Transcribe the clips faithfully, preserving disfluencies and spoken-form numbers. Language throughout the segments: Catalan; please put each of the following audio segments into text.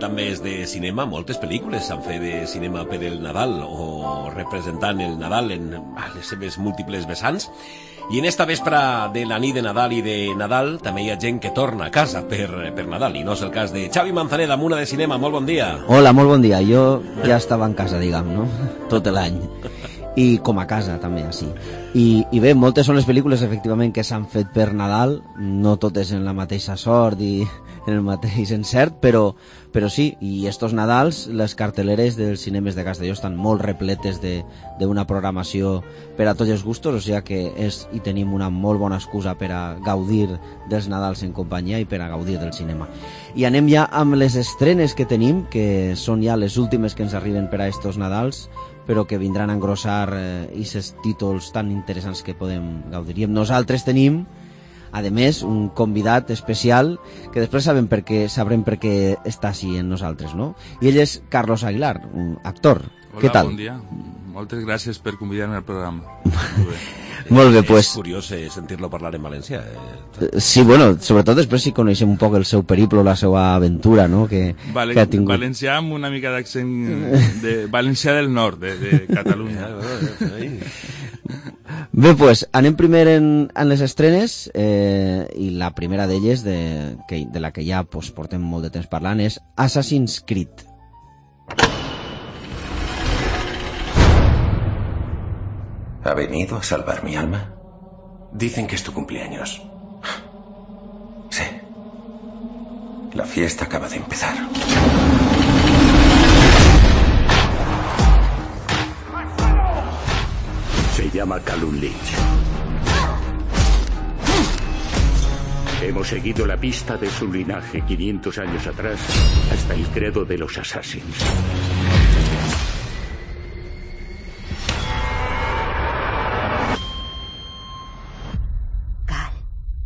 també és de cinema. Moltes pel·lícules s'han fet de cinema per el Nadal o representant el Nadal en les seves múltiples vessants. I en esta vespra de la nit de Nadal i de Nadal també hi ha gent que torna a casa per, per Nadal, i no és el cas de Xavi Manzaneda, Muna de Cinema. Molt bon dia. Hola, molt bon dia. Jo ja estava en casa, diguem, no? Tot l'any. I com a casa, també, així. I, I bé, moltes són les pel·lícules, efectivament, que s'han fet per Nadal, no totes en la mateixa sort i en el mateix encert, però, però sí, i estos Nadals, les carteleres dels cinemes de Castelló estan molt repletes d'una programació per a tots els gustos, o sigui que és, i tenim una molt bona excusa per a gaudir dels Nadals en companyia i per a gaudir del cinema. I anem ja amb les estrenes que tenim, que són ja les últimes que ens arriben per a estos Nadals, però que vindran a engrossar aquests eh, títols tan interessants que podem gaudir. I nosaltres tenim, a més, un convidat especial que després sabem per què, sabrem per què està així en nosaltres, no? I ell és Carlos Aguilar, un actor. Hola, què tal? Bon dia. Moltes gràcies per convidar-me al programa. Molt bé. Molt bé, pues... És curiós eh, sentir-lo parlar en valencià. Eh? Sí, bueno, sobretot després si coneixem un poc el seu periplo, la seva aventura, no?, que, Valen... que ha tingut. Valencià amb una mica d'accent de Valencià del Nord, de, de Catalunya. Bé, pues, anem primer en, en les estrenes, eh, i la primera d'elles, de, que, de la que ja pues, portem molt de temps parlant, és Assassin's Creed. ¿Ha venido a salvar mi alma? Dicen que es tu cumpleaños. Sí. La fiesta acaba de empezar. Se llama Callum Leach. Hemos seguido la pista de su linaje quinientos años atrás hasta el credo de los Assassins.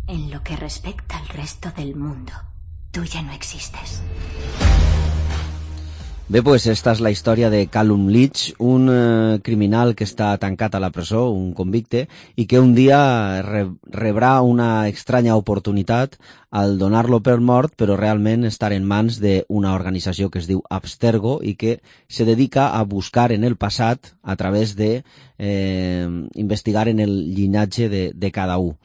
En lo que respecta al resto del mundo, tú ya no existes. Bé, pues esta és la història de Callum Leach, un eh, criminal que està tancat a la presó, un convicte, i que un dia re rebrà una estranya oportunitat al donar-lo per mort, però realment estar en mans d'una organització que es diu Abstergo i que se dedica a buscar en el passat a través de eh, investigar en el llinatge de, de cada un.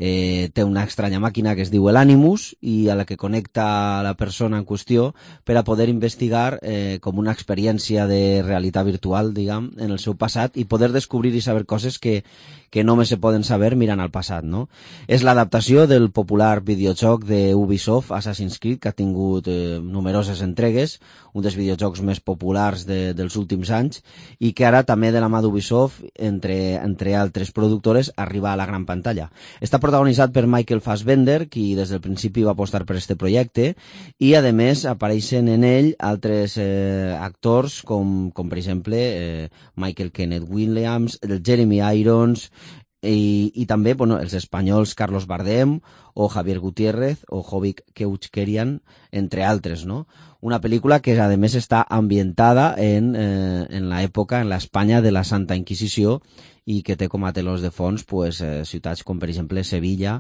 Eh, té una estranya màquina que es diu l'Animus i a la que connecta la persona en qüestió per a poder investigar eh, com una experiència de realitat virtual, diguem, en el seu passat i poder descobrir i saber coses que, que només se poden saber mirant al passat, no? És l'adaptació del popular videojoc de Ubisoft, Assassin's Creed, que ha tingut eh, numeroses entregues, un dels videojocs més populars de, dels últims anys, i que ara també de la mà d'Ubisoft, entre, entre altres productores, arriba a la gran pantalla. Està protagonitzat per Michael Fassbender, qui des del principi va apostar per este projecte, i a més apareixen en ell altres eh, actors com, com per exemple eh, Michael Kenneth Williams, el Jeremy Irons, i, i també bueno, els espanyols Carlos Bardem o Javier Gutiérrez o Jovic Keuchkerian, entre altres, no? Una pel·lícula que a més està ambientada en, eh, en l'època, en l'Espanya de la Santa Inquisició, i que té com a telons de fons pues, eh, ciutats com per exemple Sevilla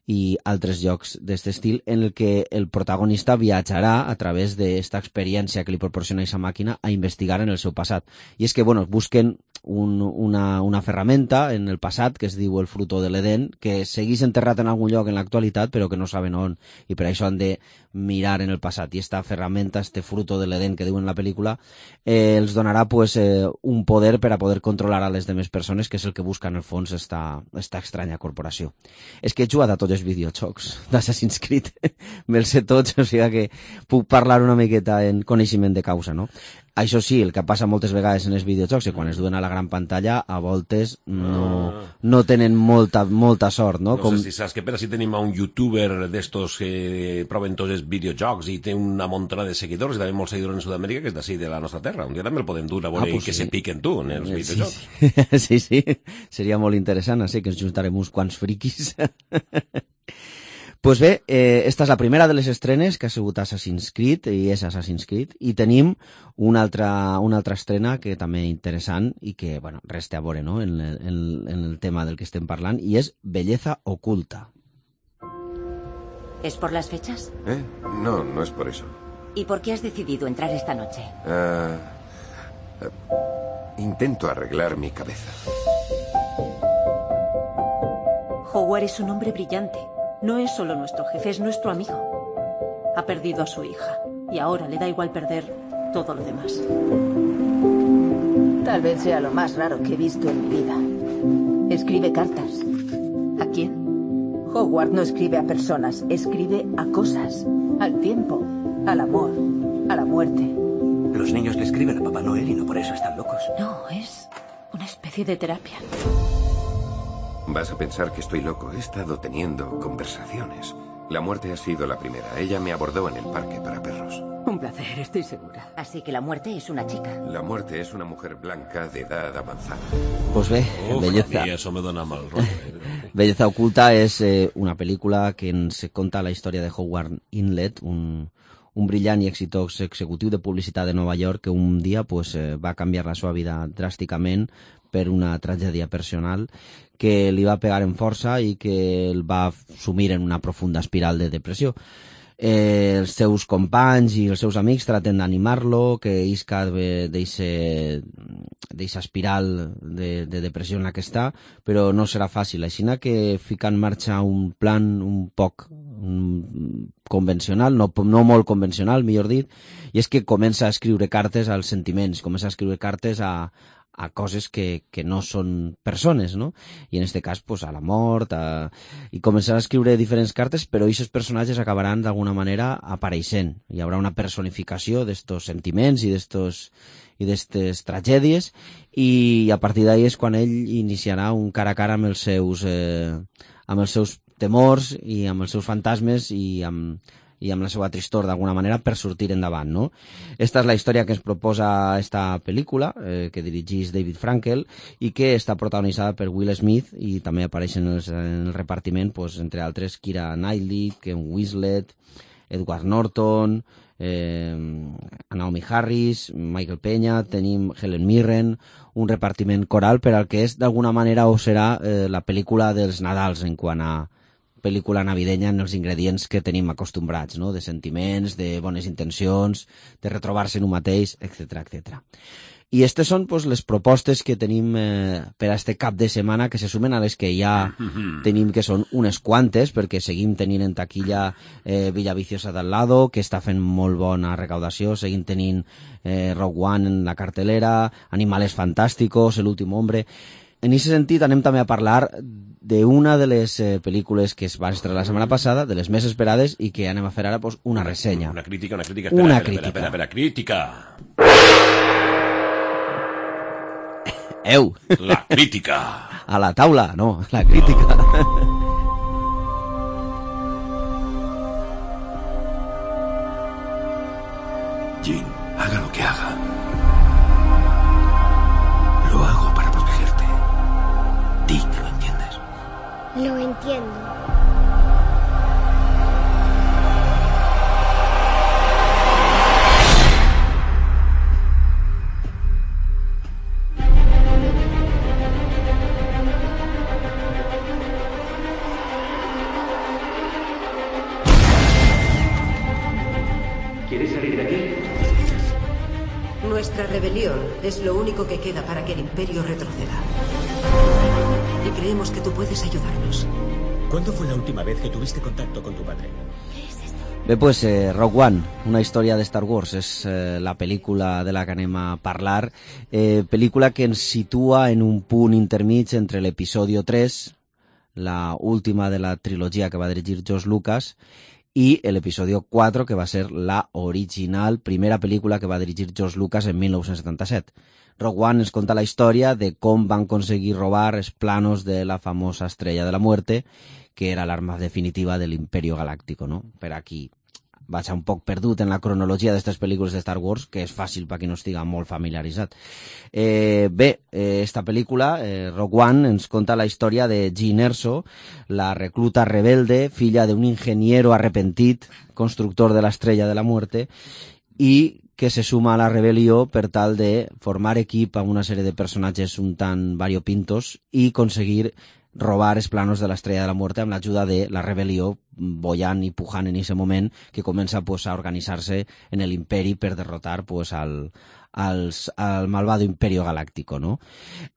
i altres llocs d'aquest estil, en el que el protagonista viatjarà a través d'esta experiència que li proporciona aquesta màquina a investigar en el seu passat. I és que bueno, busquen un, una, una ferramenta en el passat que es diu el fruto de l'Eden, que segueix enterrat en algun lloc en l'actualitat però que no saben on, i per això han de mirar en el passat. I esta ferramenta, este fruto de l'Eden que diuen en la pel·lícula, eh, els donarà pues, eh, un poder per a poder controlar a les demés persones, que és el que busca en el fons esta, esta estranya corporació. És que he jugat a tots els videojocs d'Assassin's Creed, me'ls sé tots, o sigui que puc parlar una miqueta en coneixement de causa, no? Això sí, el que passa moltes vegades en els videojocs, que quan es duen a la gran pantalla, a voltes no, no tenen molta, molta sort, no? No Com... sé si saps que per així tenim a un youtuber d'estos que proven tots els videojocs i té una muntona de seguidors, i també molts seguidors en Sud-amèrica, que és d'ací de la nostra terra. Un dia també el podem dur a veure ah, pues que sí. Se piquen tu en els videojocs. Sí, sí, sí. Seria molt interessant, així que ens juntarem uns quants friquis. Pues bé, eh, esta és la primera de les estrenes que ha sigut Assassin's Creed, i és Assassin's Creed, i tenim una altra, una altra estrena que també interessant i que, bueno, resta a veure, no?, en, en, en el tema del que estem parlant, i és Belleza Oculta. ¿Es por las fechas? ¿Eh? No, no es por eso. ¿Y por qué has decidido entrar esta noche? Uh, uh, intento arreglar mi cabeza. Howard es un hombre brillante. No es solo nuestro jefe, es nuestro amigo. Ha perdido a su hija y ahora le da igual perder todo lo demás. Tal vez sea lo más raro que he visto en mi vida. Escribe cartas. ¿A quién? Howard no escribe a personas, escribe a cosas. Al tiempo, al amor, a la muerte. Los niños le escriben a Papá Noel y no por eso están locos. No, es una especie de terapia. Vas a pensar que estoy loco. He estado teniendo conversaciones. La muerte ha sido la primera. Ella me abordó en el parque para perros. Un placer, estoy segura. Así que la muerte es una chica. La muerte es una mujer blanca de edad avanzada. Pues bé, Uf, Belleza. a mi això me dona mal rotllo. Belleza Oculta és eh, una pel·lícula que ens conta la història de Howard Inlet, un, un brillant i exitós executiu de publicitat de Nova York que un dia pues, eh, va canviar la seva vida dràsticament per una tragèdia personal que li va pegar en força i que el va sumir en una profunda espiral de depressió. Eh, els seus companys i els seus amics traten d'animar-lo, que isca d'eixa espiral de, de depressió en la que està, però no serà fàcil. Així que fica en marxa un plan un poc un, convencional, no, no molt convencional, millor dit, i és que comença a escriure cartes als sentiments, comença a escriure cartes a a coses que, que no són persones, no? I en este cas, pues, a la mort, a... i començarà a escriure diferents cartes, però aquests personatges acabaran d'alguna manera apareixent. Hi haurà una personificació d'estos sentiments i d'estos i d'estes tragèdies, i a partir d'ahí és quan ell iniciarà un cara a cara amb els seus, eh, amb els seus temors i amb els seus fantasmes i amb i amb la seva tristor d'alguna manera per sortir endavant, no? Esta és la història que ens proposa esta pel·lícula, eh, que dirigís David Frankel i que està protagonitzada per Will Smith i també apareixen en, els, en el repartiment, pues, entre altres, Keira Knightley, Ken Winslet, Edward Norton, eh, Naomi Harris, Michael Peña, tenim Helen Mirren, un repartiment coral per al que és d'alguna manera o serà eh, la pel·lícula dels Nadals en quant a pel·lícula navidenya en els ingredients que tenim acostumbrats, no? De sentiments, de bones intencions, de retrobar-se en un mateix, etcètera, etcètera. I aquestes són, pues, les propostes que tenim eh, per a este cap de setmana, que se sumen a les que ja tenim, que són unes quantes, perquè seguim tenint en taquilla eh, Villaviciosa d'Al Lado, que està fent molt bona recaudació, seguim tenint eh, Rogue One en la cartelera, Animales Fantásticos, El últim hombre. En aquest sentit anem també a parlar d'una de les eh, pel·lícules que es va estrenar la setmana passada, de les més esperades, i que anem a fer ara pues, una ressenya. Una crítica, una crítica. Espera, una espera, crítica. Espera, espera, crítica. Eu! La crítica. A la taula, no, la crítica. No. Jean, haga lo que haga. Lo hago para protegerte. Di que lo entiendes. Lo entiendo. ¿Quieres salir de aquí? Nuestra rebelión es lo único que queda para que el Imperio retroceda. Y creemos que tú puedes ayudarnos. ¿Cuándo fue la última vez que tuviste contacto con tu padre? Bé, pues eh, Rogue One, una història de Star Wars, és eh, la pel·lícula de la que anem a parlar, eh, pel·lícula que ens situa en un punt intermig entre l'episodio tres, la última de la trilogia que va dirigir George Lucas, i l'episodio quatre, que va ser la original primera pel·lícula que va dirigir George Lucas en mil nou-cents setanta-set. Rogue One ens conta la història de com van aconseguir robar els planos de la famosa Estrella de la Muerte, que era l'arma definitiva de l'Imperio Galáctico, no? Per aquí vaig un poc perdut en la cronologia d'aquestes pel·lícules de Star Wars, que és fàcil per qui no estigui molt familiaritzat. Eh, bé, eh, esta pel·lícula, eh, Rogue One, ens conta la història de Jean Erso, la recluta rebelde, filla d'un ingeniero arrepentit, constructor de l'Estrella de la Muerte, i que se suma a la rebel·lió per tal de formar equip amb una sèrie de personatges un tant variopintos i aconseguir robar els planos de l'Estrella de la Muerte amb l'ajuda de la rebel·lió bollant i pujant en aquest moment que comença pues, a organitzar-se en l'imperi per derrotar pues, al, als, al malvado Imperio Galáctico, no?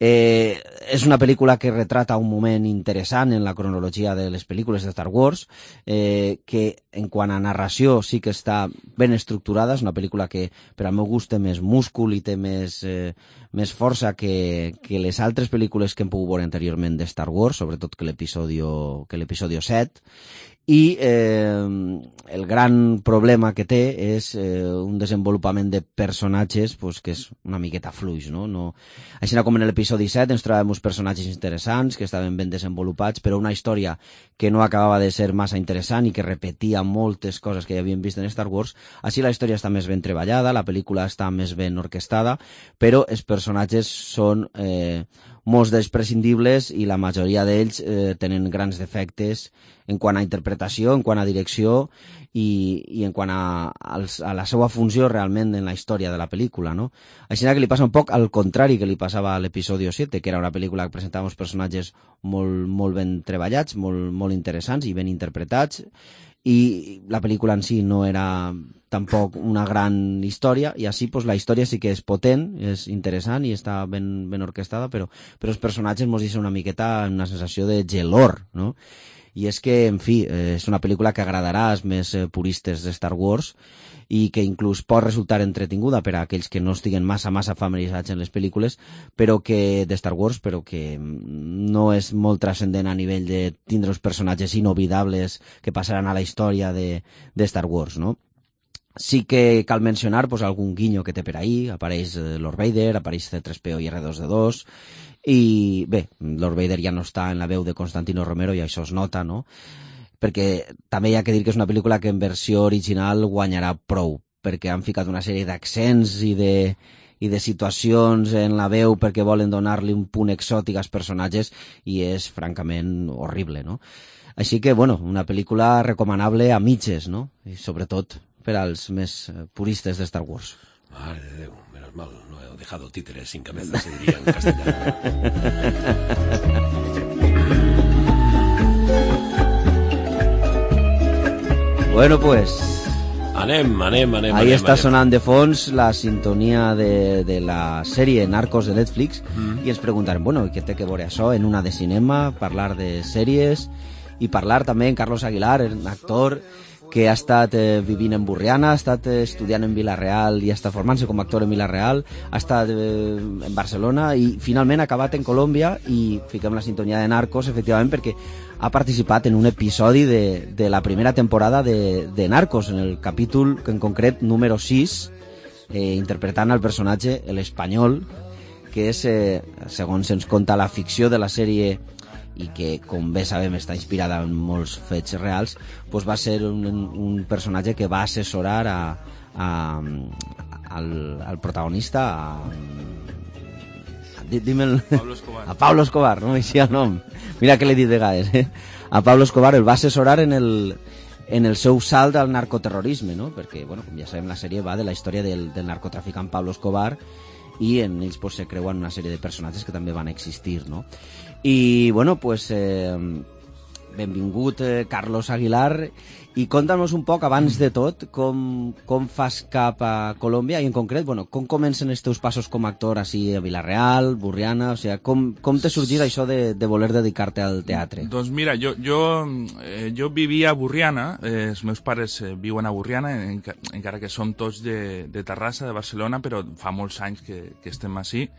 Eh, és una pel·lícula que retrata un moment interessant en la cronologia de les pel·lícules de Star Wars, eh, que en quant a narració sí que està ben estructurada, és una pel·lícula que per al meu gust té més múscul i té més, eh, més força que, que les altres pel·lícules que hem pogut veure anteriorment de Star Wars, sobretot que l'episodio que l'episodio set, i eh, el gran problema que té és eh, un desenvolupament de personatges pues, que és una miqueta fluix, no? No... Així com en l'episodi set ens trobem uns personatges interessants que estaven ben desenvolupats, però una història que no acabava de ser massa interessant i que repetia moltes coses que ja havíem vist en Star Wars. Així la història està més ben treballada, la pel·lícula està més ben orquestada, però els personatges són eh, molts d'ells prescindibles i la majoria d'ells eh, tenen grans defectes en quant a interpretació, en quant a direcció i, i en quant a, als, a la seva funció realment en la història de la pel·lícula, no? Així que li passa un poc al contrari que li passava a l'episodio set, que era una pel·lícula que presentava uns personatges molt, molt ben treballats, molt, molt interessants i ben interpretats, i la pel·lícula en si no era tampoc una gran història, i així pues, la història sí que és potent, és interessant i està ben, ben orquestada, però, però els personatges ens deixen una miqueta una sensació de gelor, no? I és que, en fi, eh, és una pel·lícula que agradarà als més eh, puristes de Star Wars i que inclús pot resultar entretinguda per a aquells que no estiguen massa, massa familiaritzats en les pel·lícules, però que de Star Wars, però que no és molt transcendent a nivell de tindre uns personatges inoblidables que passaran a la història de, de Star Wars, no? Sí que cal mencionar pues, algun guinyo que té per ahí, apareix eh, Lord Vader, apareix C tres P O i R dos D dos, i bé, Lord Vader ja no està en la veu de Constantino Romero i això es nota, no? Perquè també hi ha que dir que és una pel·lícula que en versió original guanyarà prou, perquè han ficat una sèrie d'accents i de, i de situacions en la veu perquè volen donar-li un punt exòtic als personatges i és francament horrible, no? Així que, bueno, una pel·lícula recomanable a mitges, no? I sobretot per als més puristes de Star Wars. Mare de Déu, menos mal, no he dejado títeres sin cabeza, se diría en castellano. Bueno, pues... Anem, anem, anem. Ahí anem, està anem. sonant de fons la sintonia de, de la sèrie Narcos de Netflix mm. i ens preguntarem, bueno, què té que veure això en una de cinema, parlar de sèries i parlar també en Carlos Aguilar, un actor que ha estat eh, vivint en Borriana, ha estat eh, estudiant en Vila-real i està formant-se com a actor en Vila-real, ha estat eh, en Barcelona i finalment ha acabat en Colòmbia i fiquem la sintonia de Narcos, efectivament, perquè ha participat en un episodi de, de la primera temporada de, de Narcos, en el capítol en concret número sis, eh, interpretant el personatge l'Espanyol, que és, eh, segons ens conta la ficció de la sèrie i que, com bé sabem, està inspirada en molts fets reals, doncs va ser un, un personatge que va assessorar a, a, al, al protagonista, a, a, dime el, Pablo Escobar. a Pablo Escobar, no m'eixia el nom. Mira que l'he dit de vegades, eh? A Pablo Escobar el va assessorar en el, en el seu salt al narcoterrorisme, no? Perquè, bueno, com ja sabem, la sèrie va de la història del, del narcotraficant Pablo Escobar i en ells pues, se creuen una sèrie de personatges que també van existir, no? I, bueno, pues, eh, benvingut eh, Carlos Aguilar, i conta'ns un poc, abans de tot, com, com fas cap a Colòmbia, i en concret, bueno, com comencen els teus passos com a actor així a Vila-real, Borriana, o sigui, com, com t'ha sorgit això de, de voler dedicar-te al teatre? Doncs mira, jo, jo, eh, jo vivia a Borriana, eh, els meus pares eh, viuen a Borriana, en, encara que som tots de, de Terrassa, de Barcelona, però fa molts anys que, que estem així.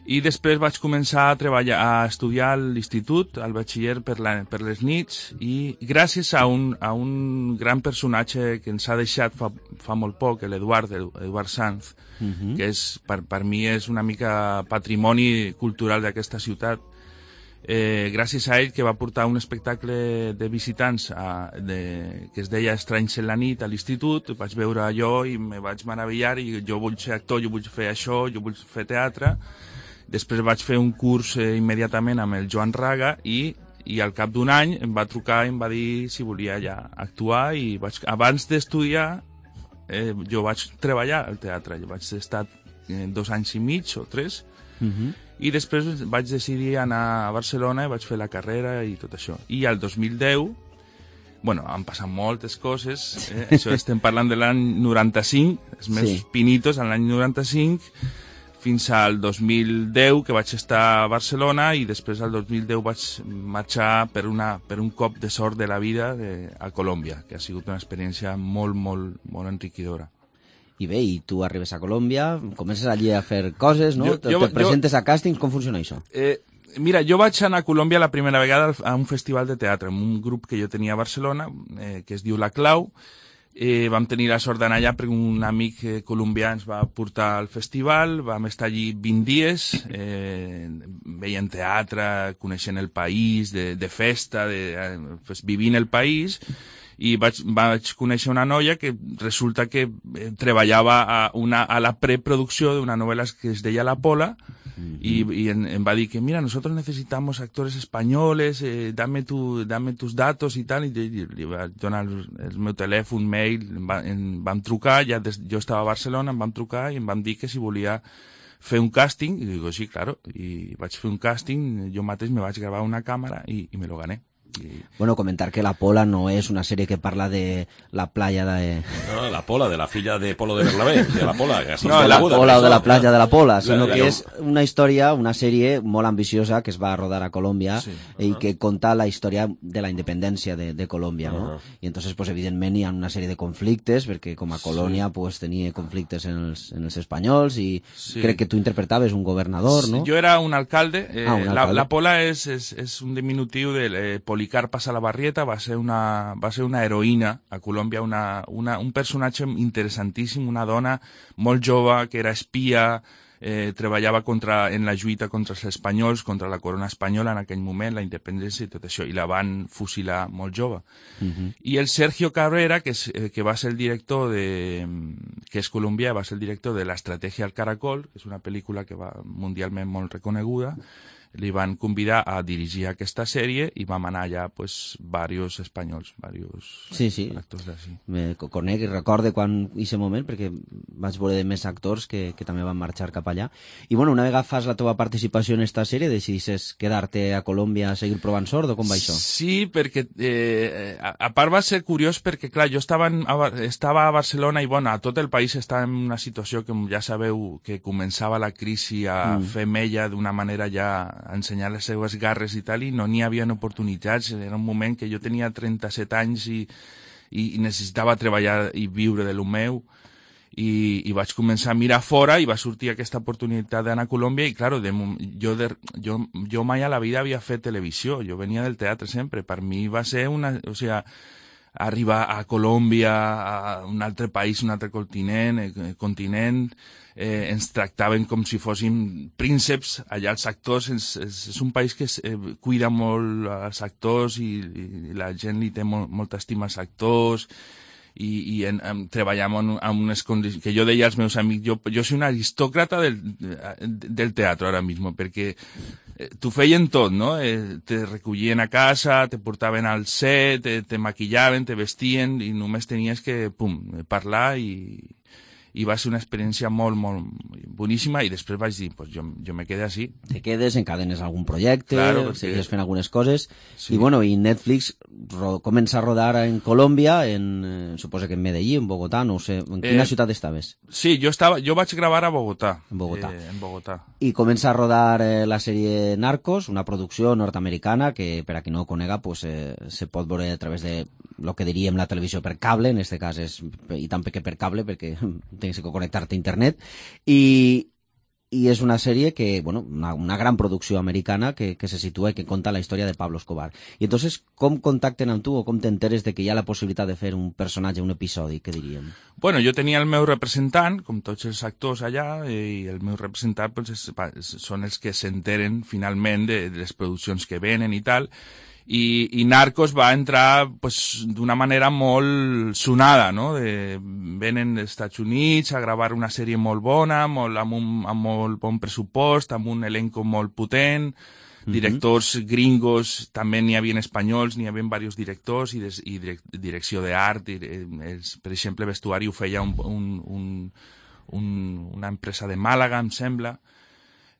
I després vaig començar a treballar, a estudiar a l'institut, al batxiller per, la, per les nits, i gràcies a un, a un gran personatge que ens ha deixat fa, fa molt poc, l'Eduard, Eduard Sanz, uh-huh. que és, per, per mi és una mica patrimoni cultural d'aquesta ciutat. Eh, gràcies a ell, que va portar un espectacle de visitants a, de, que es deia Estranys en la nit a l'institut, vaig veure allò i me vaig meravellar, i jo vull ser actor, jo vull fer això, jo vull fer teatre. Després vaig fer un curs eh, immediatament amb el Joan Raga i, i al cap d'un any em va trucar i em va dir si volia ja actuar, i vaig, abans d'estudiar eh, jo vaig treballar al teatre. Jo vaig estar eh, dos anys i mig o tres Uh-huh. I després vaig decidir anar a Barcelona i vaig fer la carrera i tot això. I al dos mil deu, bueno, han passat moltes coses, eh? Això estem parlant de l'any noranta-cinc, els meus sí. pinitos, a l'any noranta-cinc, fins al dos mil deu, que vaig estar a Barcelona, i després al dos mil deu vaig marxar per, una, per un cop de sort de la vida de, a Colòmbia, que ha sigut una experiència molt, molt, molt enriquidora. I bé, i tu arribes a Colòmbia, comences allí a fer coses, no? Jo, jo, te presentes jo, a càstings, com funciona això? Eh, mira, jo vaig anar a Colòmbia la primera vegada a un festival de teatre, amb un grup que jo tenia a Barcelona, eh, que es diu La Clau. Eh, vam tenir la sort d'anar allà perquè un amic eh, colombià ens va portar al festival, vam estar allí vint dies, eh, veient teatre, coneixent el país, de, de festa, de, eh, pues, vivint el país, i vaig, vaig conèixer una noia que resulta que eh, treballava a, una, a la preproducció d'una novel·la que es deia La Pola, mm-hmm. i, i em, em va dir que, mira, nosotros necesitamos actores españoles, eh, dame, tu, dame tus datos i tal, i, i li va donar el, el meu telèfon, mail, em, va, em vam trucar, ja des, jo estava a Barcelona, em vam trucar i em van dir que si volia fer un càsting, i dic, sí, claro, i vaig fer un càsting, jo mateix me vaig gravar una càmera i, i me lo gané. Y... Bueno, comentar que La Pola no es una serie que parla de la playa de... No, La Pola, de la filla de Polo de Bernabé, de La Pola. Que no, La Pola o de la playa de La Pola, sino la, que és una història, una sèrie molt ambiciosa que es va rodar a Colòmbia sí, uh-huh. i que conta la història de la independència de, de Colòmbia, ¿no? Uh-huh. I entonces, pues, evidentment, hi ha una sèrie de conflictes, perquè com a colònia, sí. pues, tenia conflictes en els, en els espanyols i sí. crec que tu interpretaves un governador, ¿no? Sí, jo era un alcalde. Eh, ah, un alcalde. La, la Pola és, és, és un diminutiu de eh, Policarpa Salabarrieta, va ser una, va ser una heroïna a Colòmbia, una, una, un personatge interessantíssim, una dona molt jove que era espia, eh, treballava contra, en la lluita contra els espanyols, contra la corona espanyola en aquell moment, la independència i tot això, i la van fusilar molt jove. Uh-huh. I el Sergio Cabrera, que, és, eh, que va ser el director de, que és colombià, va ser el director de l'Estratègia al Caracol, que és una pel·lícula que va mundialment molt reconeguda, li van convidar a dirigir aquesta sèrie i vam anar allà, pues, varios espanyols, varios sí, sí. actors d'ací. Me conec i recorde quan aquest moment, perquè vaig veure de més actors que, que també van marxar cap allà. I bueno, una vegada fas la teva participació en esta sèrie, decidisses quedar-te a Colòmbia a seguir provant sort, o com va això? Sí, perquè eh, a, a part va ser curiós perquè, clar, jo estava, en, a, estava a Barcelona i, bueno, a tot el país estava en una situació que ja sabeu que començava la crisi a mm. fer mella d'una manera ja a ensenyar les seues garres i tal, i no n'hi havia oportunitats. Era un moment que jo tenia trenta-set anys i, i, i necessitava treballar i viure de lo meu, i, i vaig començar a mirar fora i va sortir aquesta oportunitat d'anar a Colòmbia i, claro, de, jo, de, jo, jo mai a la vida havia fet televisió, jo venia del teatre sempre, per mi va ser una... O sea, arribar a Colòmbia, a un altre país, un altre continent, eh, continent eh, ens tractaven com si fóssim prínceps, allà els actors, és, és, és un país que es, eh, cuida molt als actors i, i la gent li té molt, molta estima als actors, i, i en, en, treballem en, en unes condicions que jo deia als meus amics, jo, jo soy un aristòcrata del, del teatre ara mismo, perquè eh, t'ho feien tot, no? Eh, te recollien a casa, te portaven al set, te, te maquillaven, te vestien, i només tenies que, pum, parlar, i, i va ser una experiència molt, molt boníssima, i després vaig dir, pues jo, jo me quedé així. Te quedes, encadenes algun projecte, claro, segues fent algunes coses, sí. I bueno, i Netflix ro comença a rodar en Colòmbia, en, eh, suposo que en Medellín, en Bogotà, no ho sé, en quina eh, ciutat estaves? Sí, jo estava, jo vaig gravar a Bogotà. En Bogotà. Eh, en Bogotà. I comença a rodar eh, la sèrie Narcos, una producció nord-americana que, per a qui no ho conega, pues, eh, se pot veure a través de lo que diríem la televisió per cable, en este cas és, i també que per cable, perquè tens que connectar-te a internet, i, i és una sèrie que, bueno, una, una gran producció americana que, que se situa i que conta la història de Pablo Escobar. I entonces, com contacten amb tu o com t'enteres de que hi ha la possibilitat de fer un personatge, un episodi, què diríem? Bueno, jo tenia el meu representant, com tots els actors allà, i el meu representant pues, és, són els que s'enteren finalment de, de les produccions que venen i tal, I, i Narcos va entrar pues, d'una manera molt sonada, no? De, venen dels Estats Units a gravar una sèrie molt bona, molt, amb, un, amb molt bon pressupost, amb un elenco molt potent, directors mm-hmm. gringos, també n'hi havia espanyols, n'hi havia diversos directors i, des, i direc, direcció d'art, per exemple, vestuari ho feia un, un, un, un, una empresa de Màlaga, em sembla.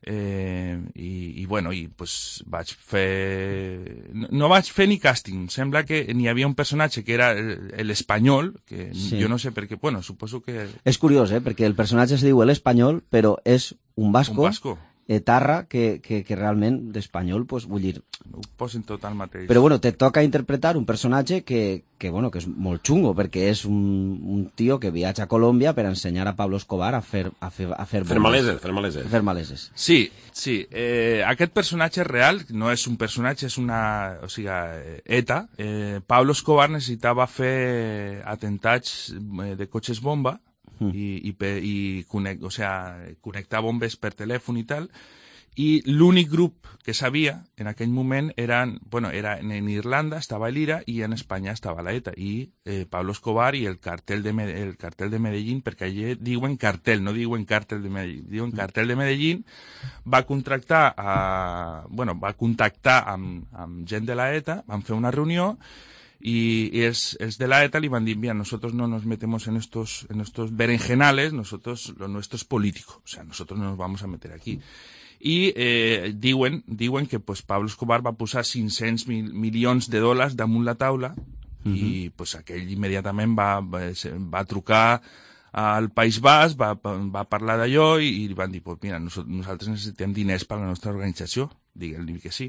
Eh, i, i bueno, i pues vaig fer... No, no vaig fer ni càsting, sembla que n'hi havia un personatge que era l'Espanyol, que sí. Jo no sé per què, bueno, suposo que... És curiós, eh, perquè el personatge es diu l'Espanyol, però és un basco, un basco. etarra, que, que, que realment d'espanyol, pues, vull dir... Ho posen tot al mateix. Però bueno, te toca interpretar un personatge que, que, bueno, que és molt xungo, perquè és un, un tio que viatja a Colòmbia per ensenyar a Pablo Escobar a fer... A fer, a fer, fer maleses, fer maleses. Fer maleses. Sí, sí. Eh, aquest personatge real, no és un personatge, és una... O sigui, ETA. Eh, Pablo Escobar necessitava fer atentats de cotxes bomba, Mm. i, i, i connect, o sea, connectar bombes per telèfon i tal, i l'únic grup que sabia en aquell moment eren, bueno, era en Irlanda estava l'Ira i en Espanya estava la ETA i eh, Pablo Escobar i el cartel de, el cartel de Medellín, perquè allà diuen cartel, no diuen càrtel de Medellín, diuen cartel de Medellín, va contractar a, bueno, va contactar amb, amb gent de la ETA, van fer una reunió y es, es de la ETA, le van a decir, mira, nosotros no nos metemos en estos, en estos berenjenales, nosotros, lo nuestro es político, o sea, nosotros no nos vamos a meter aquí. I eh, diuen, diuen que pues, Pablo Escobar va posar cinc-cents mil milions de dòlars damunt la taula uh-huh. i pues, aquell immediatament va, va, va trucar al País Basc, va, va parlar d'allò i, i van dir, pues, mira, nosaltres necessitem diners per a la nostra organització. Digue'l que sí.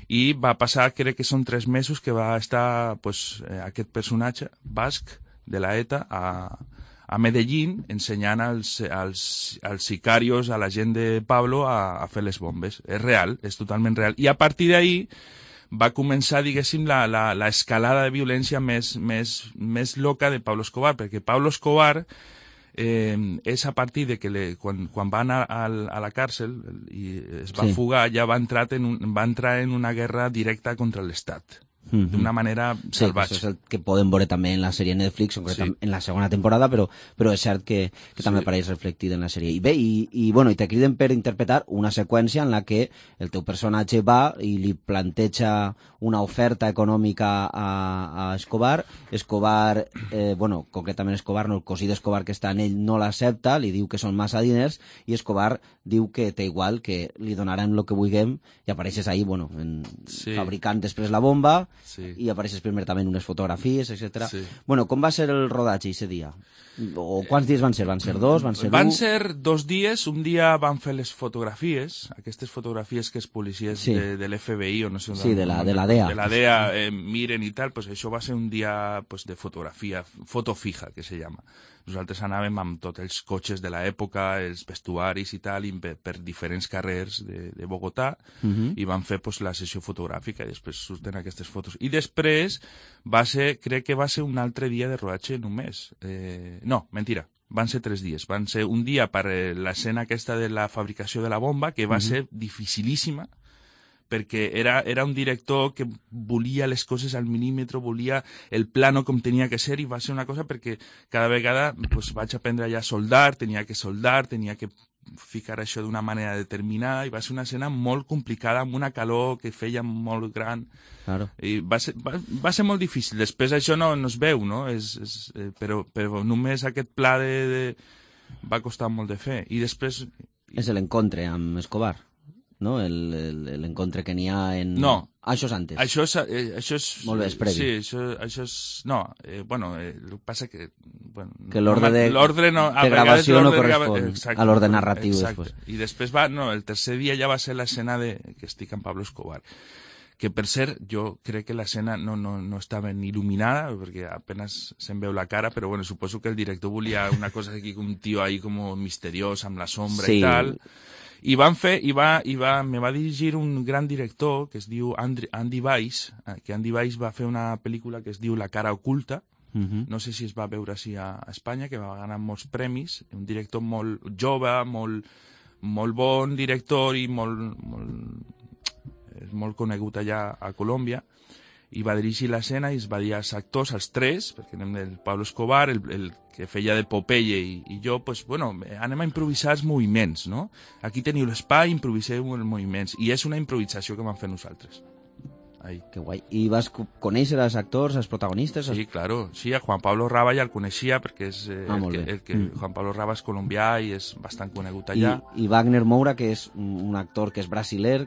I va passar, crec que són tres mesos que va estar pues, eh, aquest personatge basc de la ETA a, a Medellín ensenyant als, als, als sicarios, a la gent de Pablo a, a fer les bombes. És real, és totalment real. I a partir d'ahí va començar, diguéssim, la, la, la escalada de violència més, més, més loca de Pablo Escobar, perquè Pablo Escobar Eh, és a partir de que le, quan, quan va anar a, a la càrcel i es va sí. fugar, ja va entrar, en un, va entrar en una guerra directa contra l'Estat. Mm-hmm. D'una manera sí, salvatge. Això és el que podem veure també en la sèrie Netflix, sí. en la segona temporada, però, però és cert que, que sí. també apareix reflectit en la sèrie. I bé, i, i, bueno, i te criden per interpretar una seqüència en la que el teu personatge va i li planteja una oferta econòmica a, a Escobar. Escobar, eh, bueno, concretament Escobar, no, el cosí d'Escobar que està en ell no l'accepta, li diu que són massa diners, i Escobar diu que té igual, que li donaran el que vulguem, i apareixes ahí, bueno, en, sí. fabricant després la bomba, sí. i apareixes primer també en unes fotografies, etcètera. Sí. Bueno, com va ser el rodatge ese dia? O quants dies van ser? Van ser dos? Van ser van un? ser dos dies. Un dia van fer les fotografies, aquestes fotografies que els policies sí. de, de l'F B I o no sé... Sí, de la, de la D E A. De la D E A eh, miren i tal, pues això va ser un dia pues, de fotografia, foto fija, que se llama. Nosaltres anàvem amb tots els cotxes de l'època, els vestuaris i tal, i per, per diferents carrers de, de Bogotà, uh-huh. i van fer pues, la sessió fotogràfica, i després surten aquestes fotos. I després va ser, crec que va ser un altre dia de rodatge només. Eh, no, mentira, van ser tres dies. Van ser un dia per l'escena aquesta de la fabricació de la bomba, que va uh-huh. ser dificilíssima, perquè era, era un director que volia les coses al milímetre, volia el plano com tenia que ser, i va ser una cosa perquè cada vegada pues, vaig aprendre ja a soldar, tenia que soldar, tenia que ficar això d'una manera determinada, i va ser una escena molt complicada, amb una calor que feia molt gran. Claro. I va ser, va, va ser molt difícil. Després això no, no es veu, no? És, és, eh, però, però només aquest pla de, de... va costar molt de fer. I després... És l'encontre amb Escobar, no? L'encontre que n'hi ha en... No. Ah, això és antes. Això és... Eh, això és molt bé, és previ. Sí, això, això és... No, eh, bueno, eh, el que passa que... Bueno, que l'ordre de, no, de gravació no correspon exacte, a l'ordre narratiu exacte. Després. I després va... No, el tercer dia ja va ser l'escena de que estic amb Pablo Escobar. Que per cert, jo crec que l'escena no, no, no estava ni il·luminada, perquè apenas se'n veu la cara, però bueno, suposo que el director volia una cosa aquí, un tio ahí com misteriós, amb la sombra sí. i tal... I van fer, i va, i va, me va dirigir un gran director que es diu Andy, Andy Weiss, que Andy Weiss va fer una pel·lícula que es diu La cara oculta, uh-huh. no sé si es va veure així a, a Espanya, que va ganar molts premis, un director molt jove, molt, molt bon director i molt, molt, és molt conegut allà a Colòmbia, i va dirigir l'escena i es va dir als actors, als tres, perquè anem del Pablo Escobar, el, el que feia de Popeye i, i jo, pues, bueno, anem a improvisar els moviments, no? Aquí teniu l'espai, improviseu els moviments. I és una improvisació que vam fer nosaltres. ahí. Que guai. I vas conèixer els actors, els protagonistes? Sí, claro. Sí, a Juan Pablo Raba ja el coneixia perquè és eh, ah, el que, el que mm. Juan Pablo Raba és colombià i és bastant conegut allà. I, i Wagner Moura, que és un actor que és brasiler,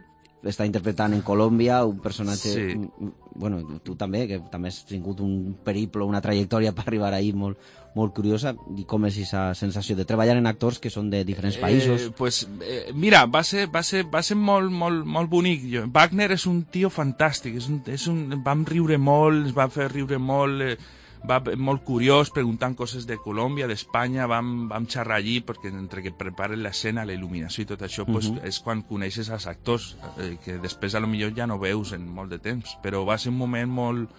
està interpretant en Colòmbia un personatge... Sí. Bueno, tu també, que també has tingut un periple, una trajectòria per arribar ahí molt, molt curiosa. I com és aquesta sensació de treballar en actors que són de diferents països? Eh, pues, eh, mira, va ser, va ser, va ser molt, molt, molt bonic. Jo, Wagner és un tio fantàstic. És un, és un, vam riure molt, ens va fer riure molt... Eh, va molt curiós, preguntant coses de Colòmbia, d'Espanya, vam, vam xerrar allí, perquè entre que preparen l'escena, la il·luminació i tot això, uh -huh. pues, és quan coneixes els actors, eh, que després a lo millor ja no veus en molt de temps, però va ser un moment molt...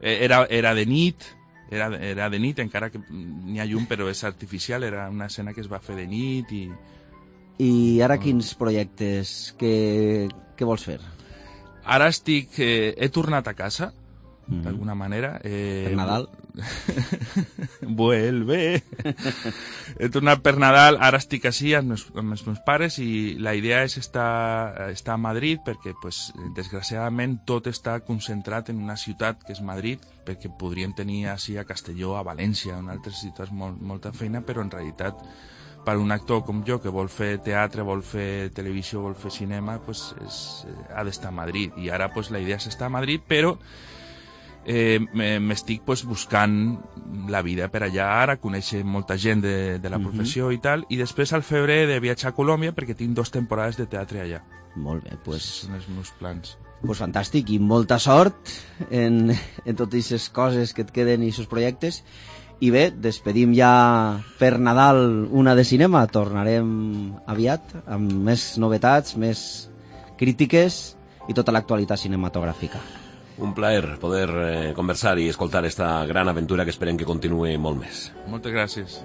Eh, era, era de nit, era, era de nit, encara que n'hi ha llum, però és artificial, era una escena que es va fer de nit i... I ara quins projectes, què, què vols fer? Ara estic... Eh, he tornat a casa, Mm-hmm. d'alguna manera. Eh, per Nadal? Vuelve! He tornat per Nadal, ara estic així amb els, amb els meus pares i la idea és estar, estar a Madrid perquè, pues, desgraciadament, tot està concentrat en una ciutat que és Madrid, perquè podríem tenir així a Castelló, a València, en altres ciutats molt, molta feina, però en realitat per un actor com jo que vol fer teatre, vol fer televisió, vol fer cinema, pues, és, ha d'estar a Madrid. I ara pues, la idea és estar a Madrid, però Eh, m'estic pues, buscant la vida per allà ara, conèixer molta gent de, de la professió uh-huh. i tal, i després al febrer de viatjar a Colòmbia perquè tinc dos temporades de teatre allà. Molt bé, pues... són els meus plans. Pues fantàstic, i molta sort en, en totes aquestes coses que et queden i aquests projectes. I bé, despedim ja per Nadal una de cinema, tornarem aviat amb més novetats, més crítiques i tota l'actualitat cinematogràfica. Un plaer poder eh, conversar i escoltar esta gran aventura que esperem que continuï molt més. Moltes gràcies.